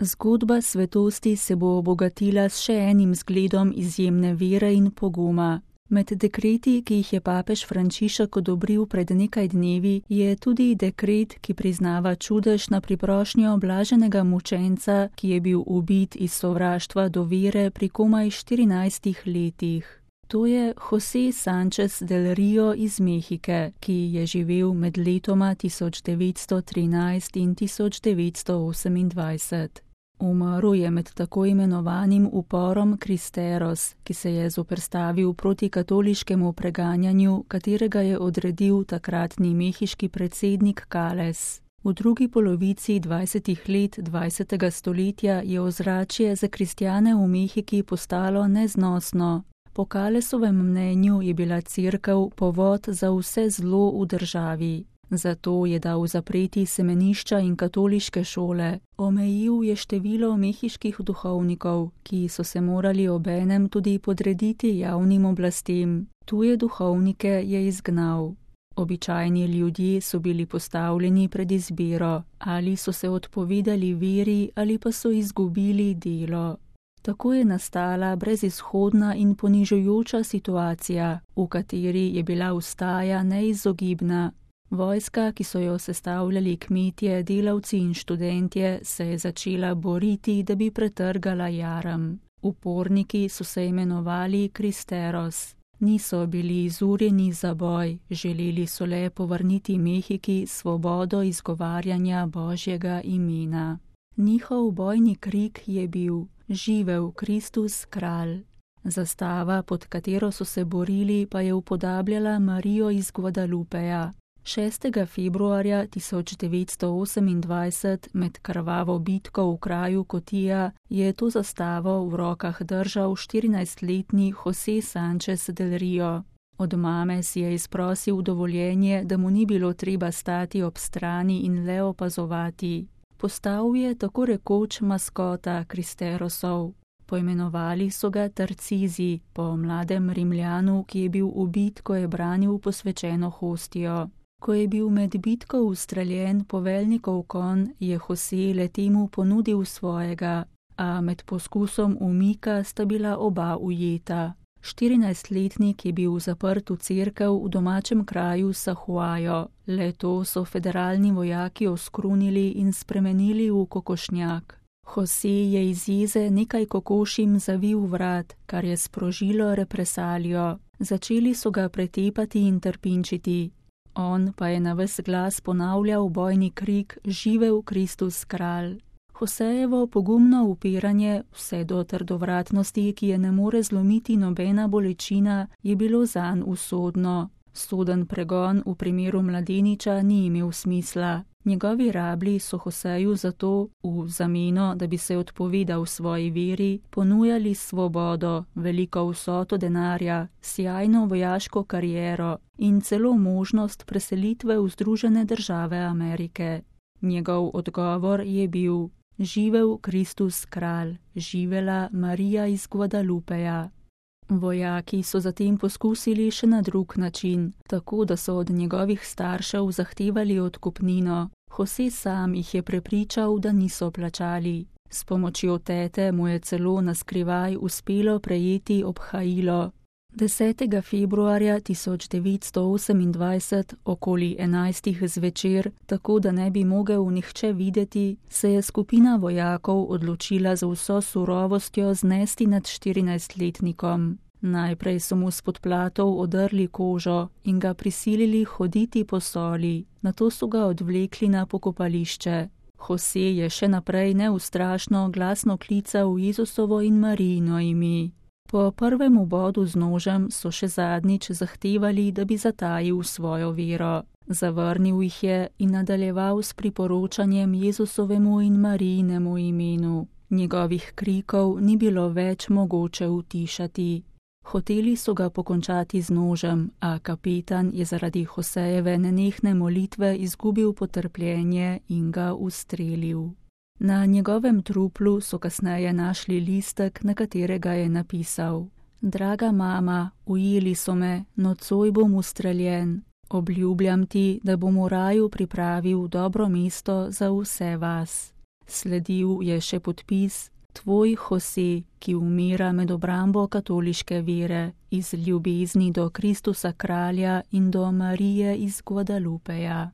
Zgodba svetosti se bo obogatila s še enim zgledom izjemne vere in poguma. Med dekreti, ki jih je papež Frančišek odobril pred nekaj dnevi, je tudi dekret, ki priznava čudež na priprošnjo blaženega mučenca, ki je bil ubit iz sovraštva do vere pri komaj 14 letih. To je José Sánchez del Río iz Mehike, ki je živel med letoma 1913 in 1928. Umrl je med tako imenovanim uporom Cristeros, ki se je zoperstavil proti katoliškemu preganjanju, katerega je odredil takratni mehiški predsednik Cales. V drugi polovici 20. let 20. stoletja je ozračje za kristjane v Mehiki postalo neznosno. Po Calesovem mnenju je bila cerkev povod za vse zlo v državi. Zato je dal zapreti semenišča in katoliške šole. Omejil je število mehiških duhovnikov, ki so se morali obenem tudi podrediti javnim oblastem. Tuje duhovnike je izgnal. Običajni ljudje so bili postavljeni pred izbiro, ali so se odpovedali veri ali pa so izgubili delo. Tako je nastala brezizhodna in ponižujoča situacija, v kateri je bila vstaja neizogibna. Vojska, ki so jo sestavljali kmetje, delavci in študentje, se je začela boriti, da bi pretrgala jaram. Uporniki so se imenovali Cristeros. Niso bili izurjeni za boj, želeli so le povrniti Mehiki svobodo izgovarjanja Božjega imena. Njihov bojni krik je bil: Živel Kristus kralj. Zastava, pod katero so se borili, pa je upodabljala Marijo iz Guadalupeja. 6. februarja 1928 med krvavo bitko v kraju Kotija je to zastavo v rokah držal 14-letni José Sánchez del Río. Od mame si je izprosil dovoljenje, da mu ni bilo treba stati ob strani in le opazovati. Postal je tako rekoč maskota Cristerosov. Poimenovali so ga Tarcizi, po mladem Rimljanu, ki je bil ubit, ko je branil posvečeno hostijo. Ko je bil med bitko ustreljen poveljnikov konj, je José le temu ponudil svojega, a med poskusom umika sta bila oba ujeta. 14-letnik je bil zaprt v cerkev v domačem kraju Sahuajo. Le to so federalni vojaki oskrunili in spremenili v kokošnjak. José je iz jeze nekaj kokošim zavil vrat, kar je sprožilo represalijo. Začeli so ga pretepati in trpinčiti. On pa je na ves glas ponavljal bojni krik: Živel Kristus kralj. Joséjevo pogumno upiranje, vse do trdovratnosti, ki je ne more zlomiti nobena bolečina, je bilo zanj usodno. Soden pregon v primeru mladeniča ni imel smisla. Njegovi rablji so Joséju zato, v zameno, da bi se odpovedal svoji veri, ponujali svobodo, veliko vsoto denarja, sijajno vojaško kariero in celo možnost preselitve v Združene države Amerike. Njegov odgovor je bil: Živel Kristus kralj, živela Marija iz Guadalupeja. Vojaki so zatem poskusili še na drug način, tako da so od njegovih staršev zahtevali odkupnino. José sam jih je prepričal, da niso plačali. S pomočjo tete mu je celo naskrivaj uspelo prejeti obhajilo. 10. februarja 1928 okoli 11. zvečer, tako da ne bi mogel nihče videti, se je skupina vojakov odločila z vso surovostjo znesti nad 14-letnikom. Najprej so mu s podplatov odrli kožo in ga prisilili hoditi po soli, nato so ga odvlekli na pokopališče. José je še naprej neustrašno glasno klical Jezusovo in Marijino ime. Po prvem ubodu z nožem so še zadnjič zahtevali, da bi zatajil svojo vero. Zavrnil jih je in nadaljeval s priporočanjem Jezusovemu in Marijinemu imenu. Njegovih krikov ni bilo več mogoče utišati. Hoteli so ga pokončati z nožem, a kapetan je zaradi Joséjeve nenehne molitve izgubil potrpljenje in ga ustrelil. Na njegovem truplu so kasneje našli listek, na katerega je napisal: Draga mama, ujeli so me, nocoj bom ustreljen. Obljubljam ti, da bom v raju pripravil dobro mesto za vse vas. Sledil je še podpis: Tvoj Jose, ki umira med obrambo katoliške vere, iz ljubezni do Kristusa kralja in do Marije iz Guadalupeja.